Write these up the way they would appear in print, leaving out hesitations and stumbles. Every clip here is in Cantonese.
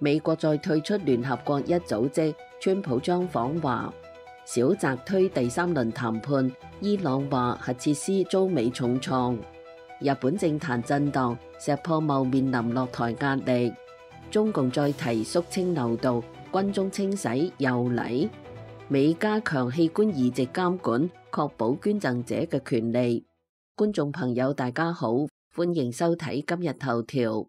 美國再退出聯合國一組織，川普將訪華。小澤推第三輪談判，伊朗話核設施遭美重創。日本政壇震盪，石破茂面臨落台壓力。中共再提肅清流道，軍中清洗又嚟。美加強器官移植監管，確保捐贈者嘅權利。觀眾朋友大家好，歡迎收睇今日頭條。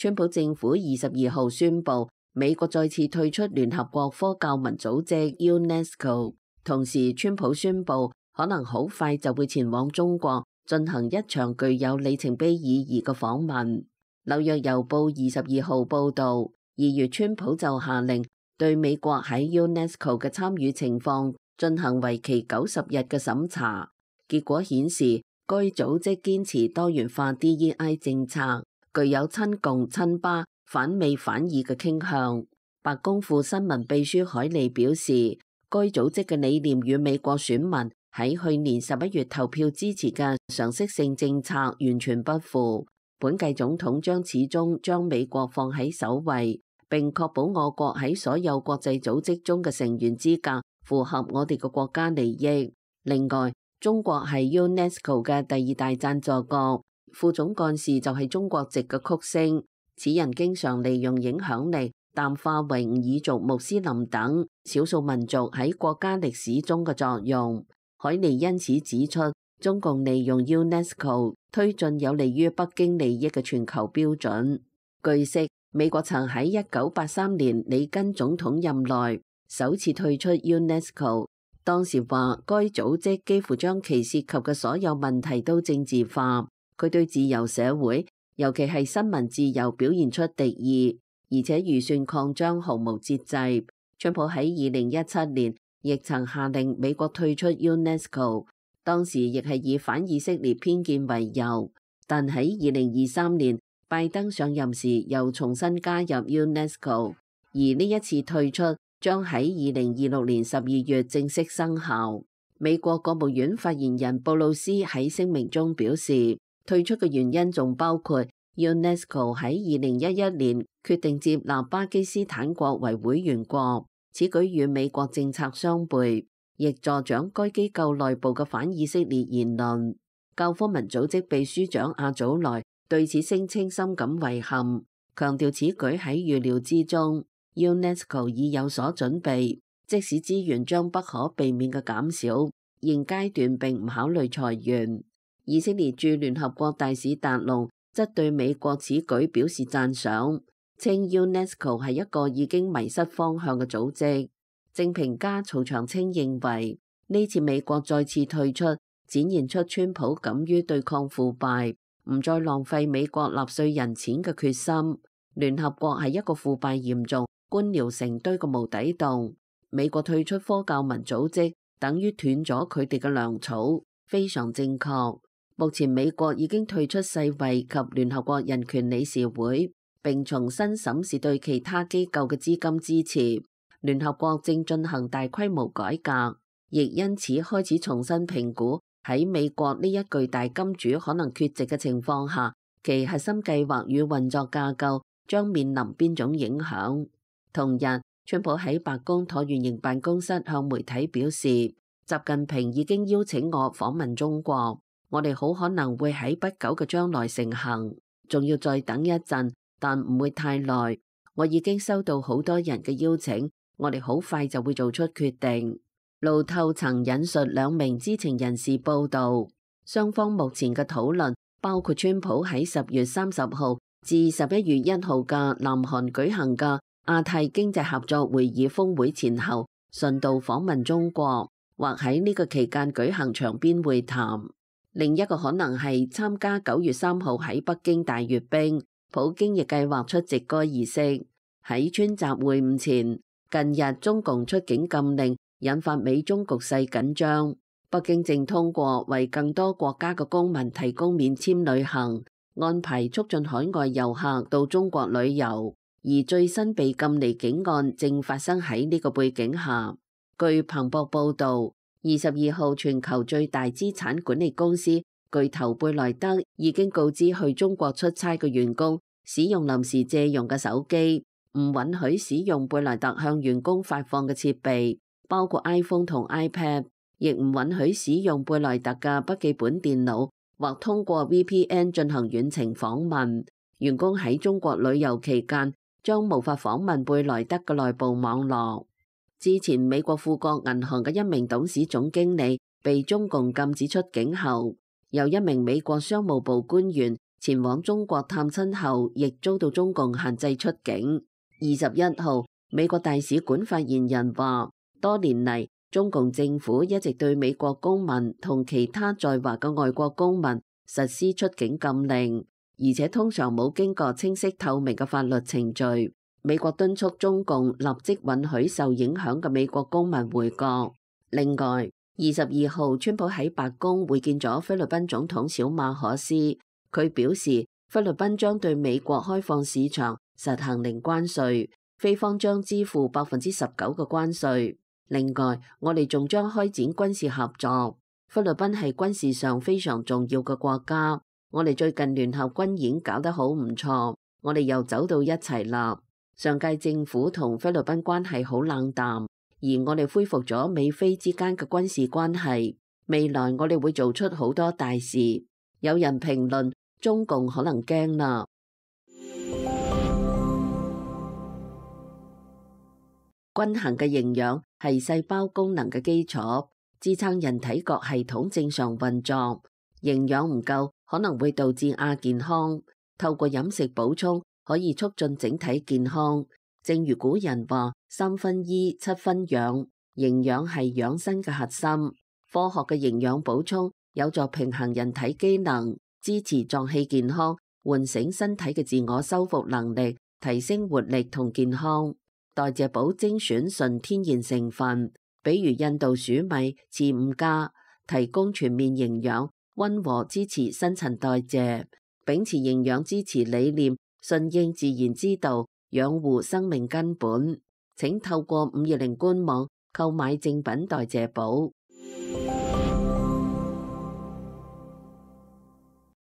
川普政府22號宣布，美國再次退出聯合國科教文組織 UNESCO， 同時川普宣布可能好快就會前往中國進行一場具有里程碑意義嘅訪問。紐約郵報22號報導，2月川普就下令對美國喺 UNESCO 嘅參與情況進行為期90日嘅審查，結果顯示該組織堅持多元化 DEI 政策，具有親共親巴反美反意嘅傾向。白宮副新聞秘書海利表示，該組織嘅理念與美國選民喺去年11月投票支持嘅常識性政策完全不符。本屆總統將始終將美國放喺首位，並確保我國喺所有國際組織中嘅成員資格符合我哋嘅國家利益。另外，中國係 UNESCO 嘅第二大贊助國，副總幹事就係中國籍嘅曲星。此人經常利用影響力淡化維吾爾族、穆斯林等少數民族喺國家歷史中嘅作用。海利因此指出，中共利用 UNESCO 推進有利於北京利益嘅全球標準。據悉，美國曾喺1983年里根總統任內首次退出 UNESCO， 當時話該組織幾乎將其涉及嘅所有問題都政治化。佢對自由社會，尤其係新聞自由表現出敵意，而且預算擴張毫無節制。川普喺2017年亦曾下令美國退出 UNESCO， 當時亦係以反以色列偏見為由。但喺2023年，拜登上任時又重新加入 UNESCO， 而呢一次退出將喺2026年12月正式生效。美國國務院發言人布魯斯喺聲明中表示，退出嘅原因仲包括 UNESCO 喺2011年決定接納巴基斯坦國為會員國，此舉與美國政策相悖，亦助長該機構內部嘅反以色列言論。教科文組織秘書長阿祖萊對此聲稱深感遺憾，強調此舉喺預料之中。UNESCO 已有所準備，即使資源將不可避免嘅減少，現階段並唔考慮裁員。以色列駐聯合國大使達龍則對美國此舉表示讚賞，稱 UNESCO 係一個已經迷失方向嘅組織。政評家曹長青認為，呢次美國再次退出，展現出川普敢於對抗腐敗，唔再浪費美國納稅人錢嘅決心。聯合國係一個腐敗嚴重、官僚成堆嘅無底洞。美國退出科教文組織，等於斷咗佢哋嘅糧草，非常正確。目前美國已經退出世衛及聯合國人權理事會，並重新審視對其他機構嘅資金支持。聯合國正進行大規模改革，亦因此開始重新評估喺美國呢一巨大金主可能缺席嘅情況下，其核心計劃與運作架構將面臨邊種影響。同日，川普喺白宮橢圓形辦公室向媒體表示，習近平已經邀請我訪問中國。我哋好可能會喺不久嘅將來成行，仲要再等一陣，但唔會太耐。我已經收到好多人嘅邀請，我哋好快就會做出決定。路透曾引述兩名知情人士報道，雙方目前嘅討論包括川普喺10月30號至11月1號嘅南韓舉行嘅亞太經濟合作會議峰會前後，順道訪問中國，或喺呢個期間舉行場邊會談。另一個可能係參加9月3號喺北京大閱兵，普京亦計劃出席該儀式。喺川習會晤前，近日中共出境禁令，引發美中局勢緊張。北京正通過為更多國家嘅公民提供免簽旅行，安排促進海外遊客到中國旅遊。而最新被禁離境案正發生喺呢個背景下。據彭博報導，22號全球最大資產管理公司巨頭貝萊德已經告知去中國出差嘅員工使用臨時借用嘅手機，唔允許使用貝萊特向員工發放嘅設備，包括 iPhone 同 iPad， 亦唔允許使用貝萊特嘅筆記本電腦或通過 VPN 進行遠程訪問。員工喺中國旅遊期間將無法訪問貝萊德嘅內部網絡。之前美國富國銀行嘅一名董事總經理被中共禁止出境後，有一名美國商務部官員前往中國探親後，亦遭到中共限制出境。21號，美國大使館發言人話，多年嚟，中共政府一直對美國公民同其他在華嘅外國公民實施出境禁令，而且通常冇經過清晰透明嘅法律程序。美國敦促中共立即允許受影響嘅美國公民回國。另外，22號，川普喺白宮會見咗菲律賓總統小馬可斯，佢表示菲律賓將對美國開放市場實行零關稅，菲方將支付19%嘅關稅。另外，我哋仲將開展軍事合作。菲律賓係軍事上非常重要嘅國家，我哋最近聯合軍演搞得好唔錯，我哋又走到一齊啦。上屆政府同菲律賓關係好冷淡，而我哋恢復咗美菲之間嘅軍事關係。未來我哋會做出好多大事。有人評論中共可能驚啦。均衡嘅營養係細胞功能嘅基礎，支撐人體各系統正常運作。營養唔夠可能會導致亞健康，透過飲食補充可以促進整體健康。正如古人話3分醫7分養，營養係養生嘅核心。科學嘅營養補充有助平衡人體機能，支持臟器健康，喚醒身體嘅自我修復能力，提升活力同健康。代謝寶精選純天然成分，比如印度薯米、次5加，提供全面營養，溫和支持新陳代謝。秉持營養支持理念，順應自然之道，養護生命根本。請透過520官網購買正品代謝寶。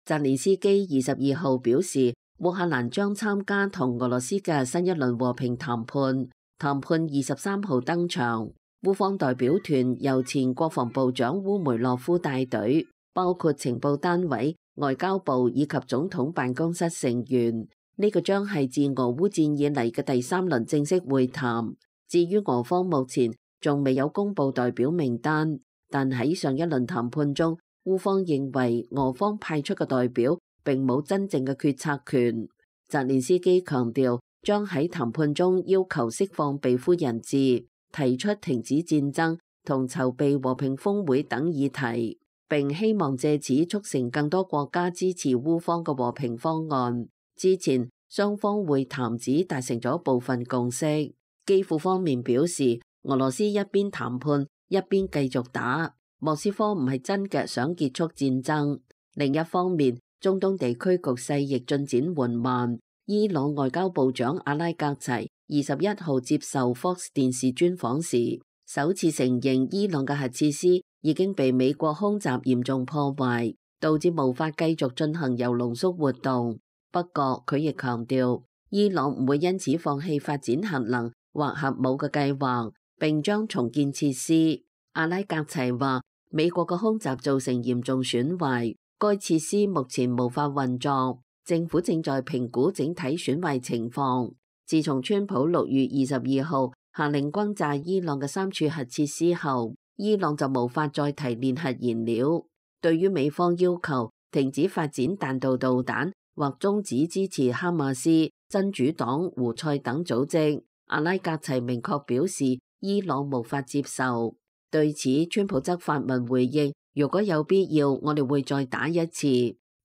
澤連斯基22號表示，烏克蘭將參加同俄羅斯嘅新一輪和平談判。談判23號登場，烏方代表團由前國防部長烏梅洛夫帶隊，包括情報單位、外交部以及總統辦公室成員。呢個將係自俄烏戰以嚟嘅第3輪正式會談。至於俄方目前仲未有公布代表名單，但喺上一輪談判中，烏方認為俄方派出嘅代表並冇真正嘅決策權。澤連斯基強調，將喺談判中要求釋放被俘人質，提出停止戰爭同籌備和平峰會等議題，並希望借此促成更多國家支持烏方嘅和平方案。之前雙方會談只達成咗部分共識。基輔方面表示，俄羅斯一邊談判一邊繼續打，莫斯科唔係真嘅想結束戰爭。另一方面，中東地區局勢亦進展緩慢。伊朗外交部長阿拉格齊21號接受 Fox 電視專訪時，首次承認伊朗嘅核設施已經被美國空襲嚴重破壞，導致無法繼續進行鈾濃縮活動。不過佢亦強調，伊朗唔會因此放棄發展核能或核武嘅計劃，並將重建設施。阿拉格齊話，美國嘅空襲造成嚴重損壞，該設施目前無法運作，政府正在評估整體損壞情況。自從川普6月22號下令轟炸伊朗嘅3處核設施後，伊朗就無法再提煉核燃料。對於美方要求停止發展彈道導彈或終止支持哈馬斯、真主黨、胡塞等組織，阿拉格齊明確表示伊朗無法接受。對此，川普則發文回應，如果有必要，我哋會再打一次。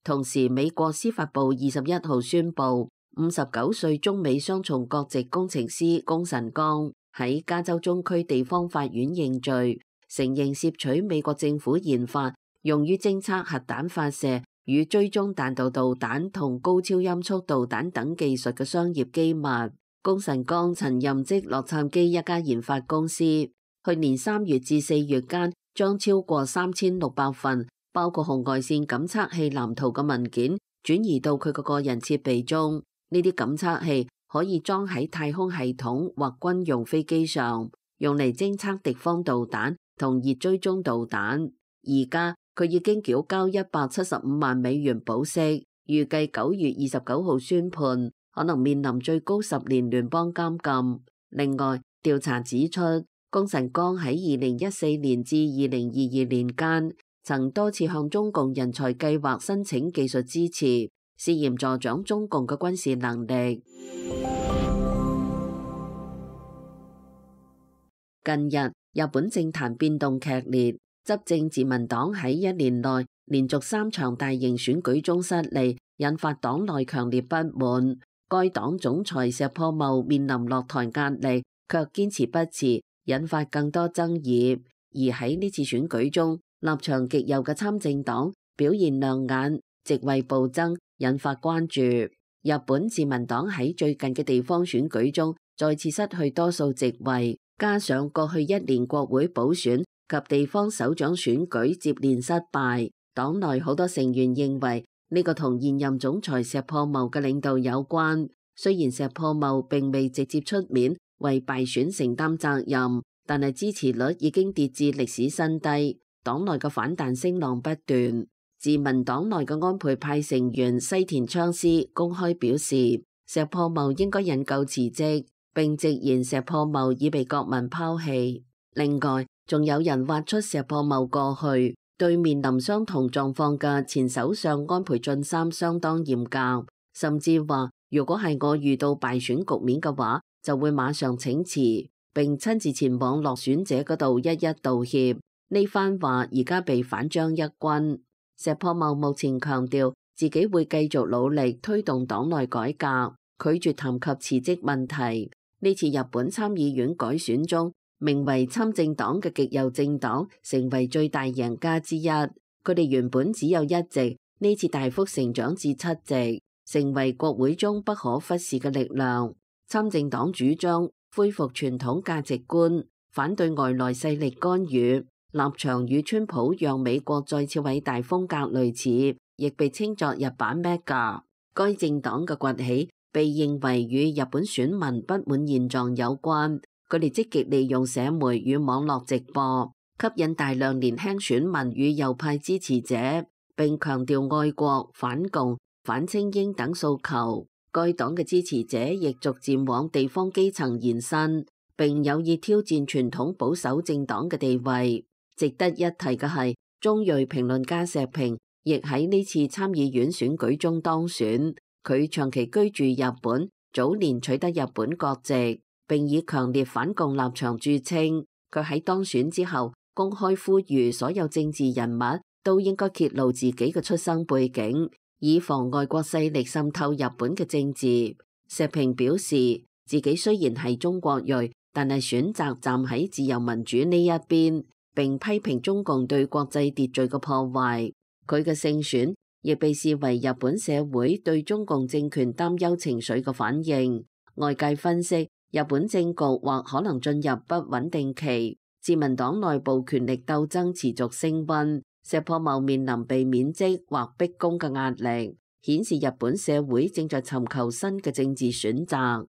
同時，美國司法部21號宣布，59歲中美雙重國籍工程師龔晨剛喺加州中區地方法院認罪，承認竊取美國政府研發用於偵測核彈發射與追蹤彈道導彈同高超音速導彈等技術嘅商業機密。龔晨剛曾任職洛杉磯一家研發公司，去年3月至4月間將超過3600份包括紅外線感測器藍圖嘅文件轉移到佢嘅個人設備中。呢啲感測器可以裝喺太空系統或軍用飛機上，用嚟偵測敵方導彈同熱追蹤導彈。而家佢已經繳交$175萬保釋，預計9月29號宣判，可能面臨最高10年聯邦監禁。另外，調查指出，龔晨光喺2014年至2022年間，曾多次向中共人才計劃申請技術支持，涉嫌助長中共嘅軍事能力。近日，日本政壇變動劇烈，執政自民黨喺一年內連續3場大型選舉中失利，引發黨內強烈不滿。該黨總裁石破茂面臨落台壓力，卻堅持不辭，引發更多爭議。而喺呢次選舉中，立場極右嘅參政黨表現亮眼，席位暴增，引發關注。日本自民黨喺最近嘅地方選舉中再次失去多數席位，加上過去1年國會補選及地方首長選舉接連失敗，黨內好多成員認為呢個同現任總裁石破茂嘅領導有關。雖然石破茂並未直接出面為敗選承擔責任，但係支持率已經跌至歷史新低，黨內嘅反彈聲浪不斷。自民黨內嘅安倍派成員西田昌司公開表示，石破茂應該引咎辭職，並直言石破茂已被國民拋棄。另外，仲有人挖出石破茂過去對面臨相同狀況嘅前首相安倍晉三相當嚴格，甚至話如果係我遇到敗選局面嘅話，就會馬上請辭，並親自前往落選者嗰度一一道歉。呢番話而家被反將一軍。石破茂目前強調自己會繼續努力推動黨內改革，拒絕談及辭職問題。呢次日本參議院改選中，名為參政黨嘅極右政黨成為最大贏家之一。佢哋原本只有1席，呢次大幅成長至7席，成為國會中不可忽視嘅力量。參政黨主張恢復傳統價值觀，反對外來勢力干預，立場與川普讓美國再次偉大風格類似，亦被稱作日版 MAGA。該政黨嘅崛起被認為與日本選民不滿現狀有關，佢哋積極利用社媒與網絡直播，吸引大量年輕選民與右派支持者，並強調愛國、反共、反精英等訴求。該黨嘅支持者亦逐漸往地方基層延伸，並有意挑戰傳統保守政黨嘅地位。值得一提嘅係，中裔評論家石平亦喺呢次參議院選舉中當選。佢長期居住日本，早年取得日本國籍，並以強烈反共立場著稱。佢喺當選之後，公開呼籲所有政治人物都應該揭露自己嘅出生背景，以防外國勢力滲透日本嘅政治。石平表示，自己雖然係中國裔，但係選擇站喺自由民主呢一邊，並批評中共對國際秩序嘅破壞。佢嘅勝選亦被視為日本社會對中共政權擔憂情緒嘅反應。外界分析，日本政局或可能進入不穩定期，自民黨內部權力鬥爭持續升溫，石破茂面臨被免職或逼宮嘅壓力，顯示日本社會正在尋求新嘅政治選擇。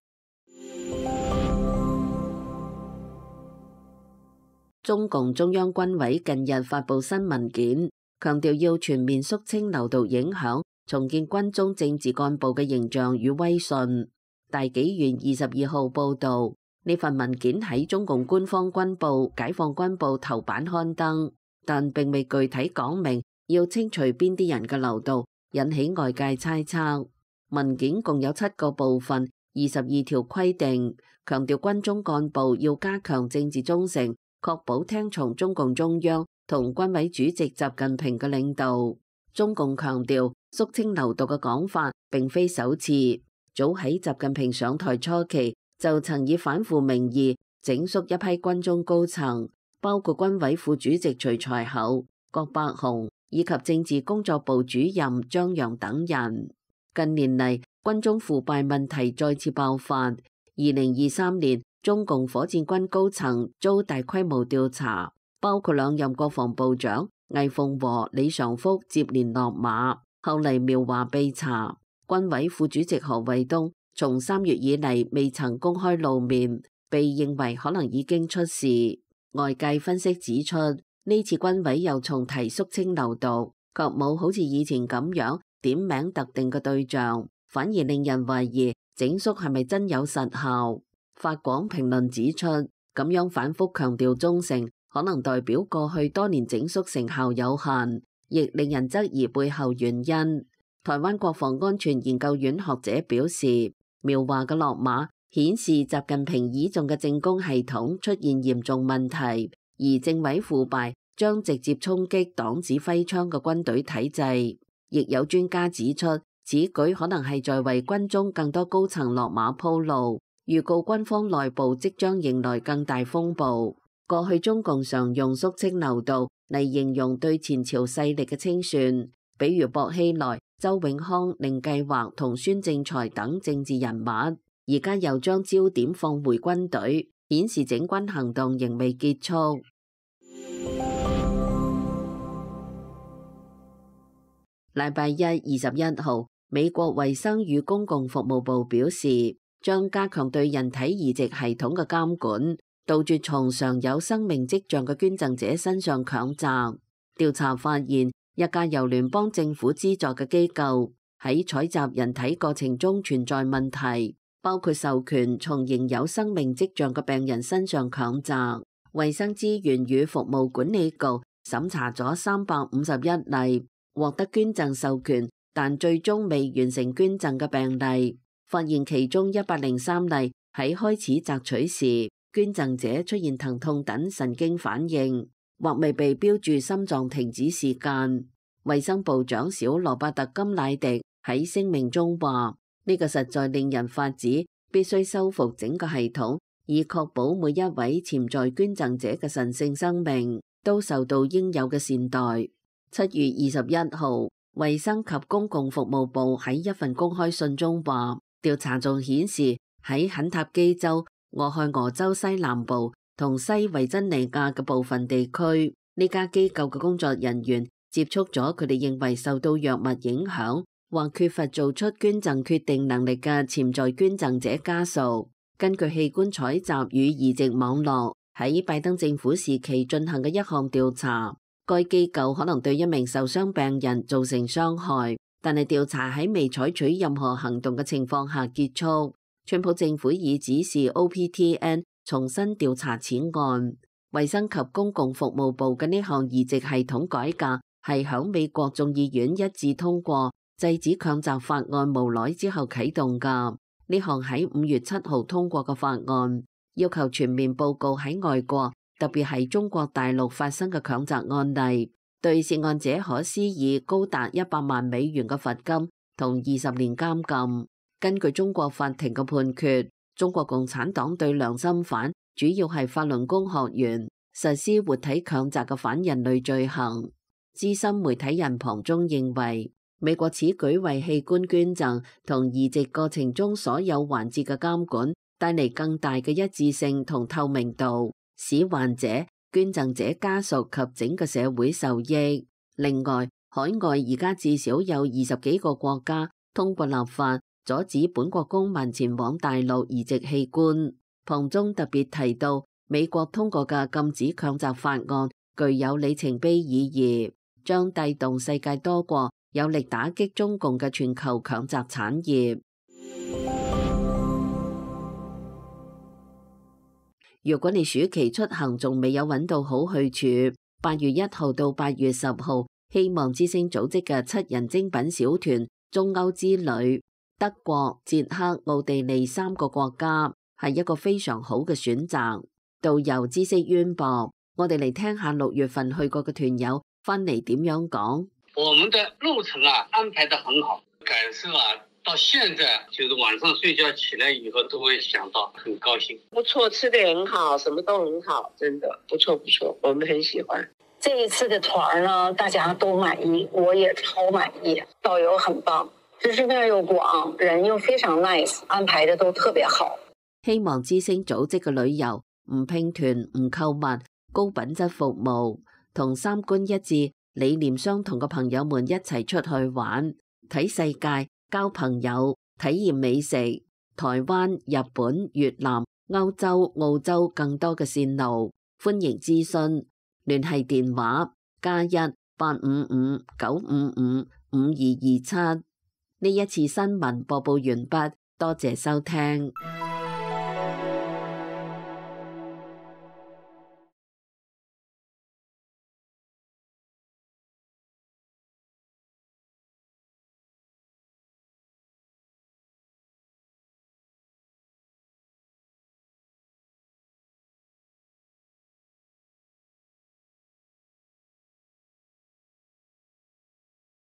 中共中央軍委近日發布新文件，強調要全面肅清流毒影響，重建軍中政治幹部嘅形象與威信。大紀元22號報導，呢份文件喺中共官方軍報《解放軍報》頭版刊登，但並未具體講明要清除邊啲人嘅流毒，引起外界猜測。文件共有7個部分，22條規定，強調軍中幹部要加強政治忠誠，確保聽從中共中央同軍委主席習近平嘅領導。中共強調肅清流毒嘅講法並非首次，早喺習近平上台初期就曾以反腐名義整肅一批軍中高層，包括軍委副主席徐才厚、郭伯雄以及政治工作部主任張陽等人。近年嚟，軍中腐敗問題再次爆發。2023年，中共火箭軍高層遭大規模調查，包括2任國防部長魏鳳和、李尚福接連落馬。後嚟苗華被查，軍委副主席何衛東從3月以嚟未曾公開露面，被認為可能已經出事。外界分析指出，呢次軍委又重提肅清流毒，卻冇好似以前咁樣點名特定嘅對象，反而令人懷疑整肅係咪真有實效。法廣評論指出，咁樣反覆強調忠誠，可能代表過去多年整肅成效有限，亦令人質疑背後原因。台灣國防安全研究院學者表示，苗華嘅落馬顯示習近平倚重嘅政工系統出現嚴重問題，而政委腐敗將直接衝擊黨指揮槍嘅軍隊體制。亦有專家指出，此舉可能係在為軍中更多高層落馬鋪路，預告軍方內部即將迎來更大風暴。過去中共常用肅清流毒嚟形容對前朝勢力嘅清算，比如薄熙來、周永康、寧計劃同孫政才等政治人物，而家又將焦點放回軍隊，顯示整軍行動仍未結束。禮拜一21號，美國衛生與公共服務部表示，將加強對人體移植系統嘅監管，杜絕從常有生命跡象嘅捐贈者身上強摘。調查發現，一家由聯邦政府資助嘅機構喺採集人體過程中存在問題，包括授權從仍有生命跡象嘅病人身上強摘。衛生資源與服務管理局審查咗351例獲得捐贈授權，但最終未完成捐贈嘅病例，發現其中103例喺開始摘取時，捐贈者出現疼痛等神經反應，或未被標注心臟停止時間。衛生部長小羅伯特金乃迪喺聲明中話：呢個實在令人發指，必須修復整個系統，以確保每一位潛在捐贈者嘅神聖生命都受到應有嘅善待。7月21號，衛生及公共服務部喺一份公開信中話，調查仲顯示喺肯塔基州、俄亥俄州西南部同西維珍尼亞嘅部分地區，呢家機構嘅工作人員接觸咗佢哋認為受到藥物影響或缺乏做出捐贈決定能力嘅潛在捐贈者家屬。根據器官採集與移植網絡喺拜登政府時期進行嘅一項調查，該機構可能對一名受傷病人造成傷害，但係調查喺未採取任何行動嘅情況下結束。川普政府已指示 OPTN 重新調查此案。衛生及公共服務部嘅呢項移植系統改革係響美國眾議院一致通過制止強摘法案無耐之後啟動㗎。呢項喺5月7號通過嘅法案，要求全面報告喺外國，特別係中國大陸發生嘅強摘案例，對涉案者可施以高達100萬美元嘅罰金同20年監禁。根據中國法庭嘅判決，中國共產黨對良心犯，主要係法輪功學員，實施活體強摘嘅反人類罪行。資深媒體人龐中認為，美國此舉為器官捐贈同移植過程中所有環節嘅監管帶嚟更大嘅一致性同透明度，使患者、捐贈者家屬及整個社會受益。另外，海外而家至少有20幾個國家通過立法阻止本國公民前往大陸移植器官。龐中特別提到，美國通過嘅禁止強摘法案具有里程碑意義，將帶動世界多國有力打擊中共嘅全球強摘產業。如果你暑期出行仲未有揾到好去處，8月1號到8月10號，希望之星組織嘅7人精品小團中歐之旅，德國、捷克、奧地利3個國家係一個非常好嘅選擇。導遊知識淵博，我哋嚟聽下6月份去過嘅團友翻嚟點樣講。我們的路程安排得很好，感受到現在就是晚上睡覺起來以後都會想到，很高興。不錯，吃得很好，什麼都很好，真的不錯不錯，我們很喜歡。這一次的團呢，大家都滿意，我也超滿意，導遊很棒，知識面又廣，人又非常 nice， 安排得都特別好。希望之星組織嘅旅遊唔拼團唔購物，高品質服務同三觀一致，理念相同嘅朋友們一齊出去玩，睇世界、交朋友、體驗美食。台灣、日本、越南、歐洲、澳洲更多嘅線路，歡迎諮詢，聯繫電話+18559555227。呢一次新聞播報完畢，多謝收聽。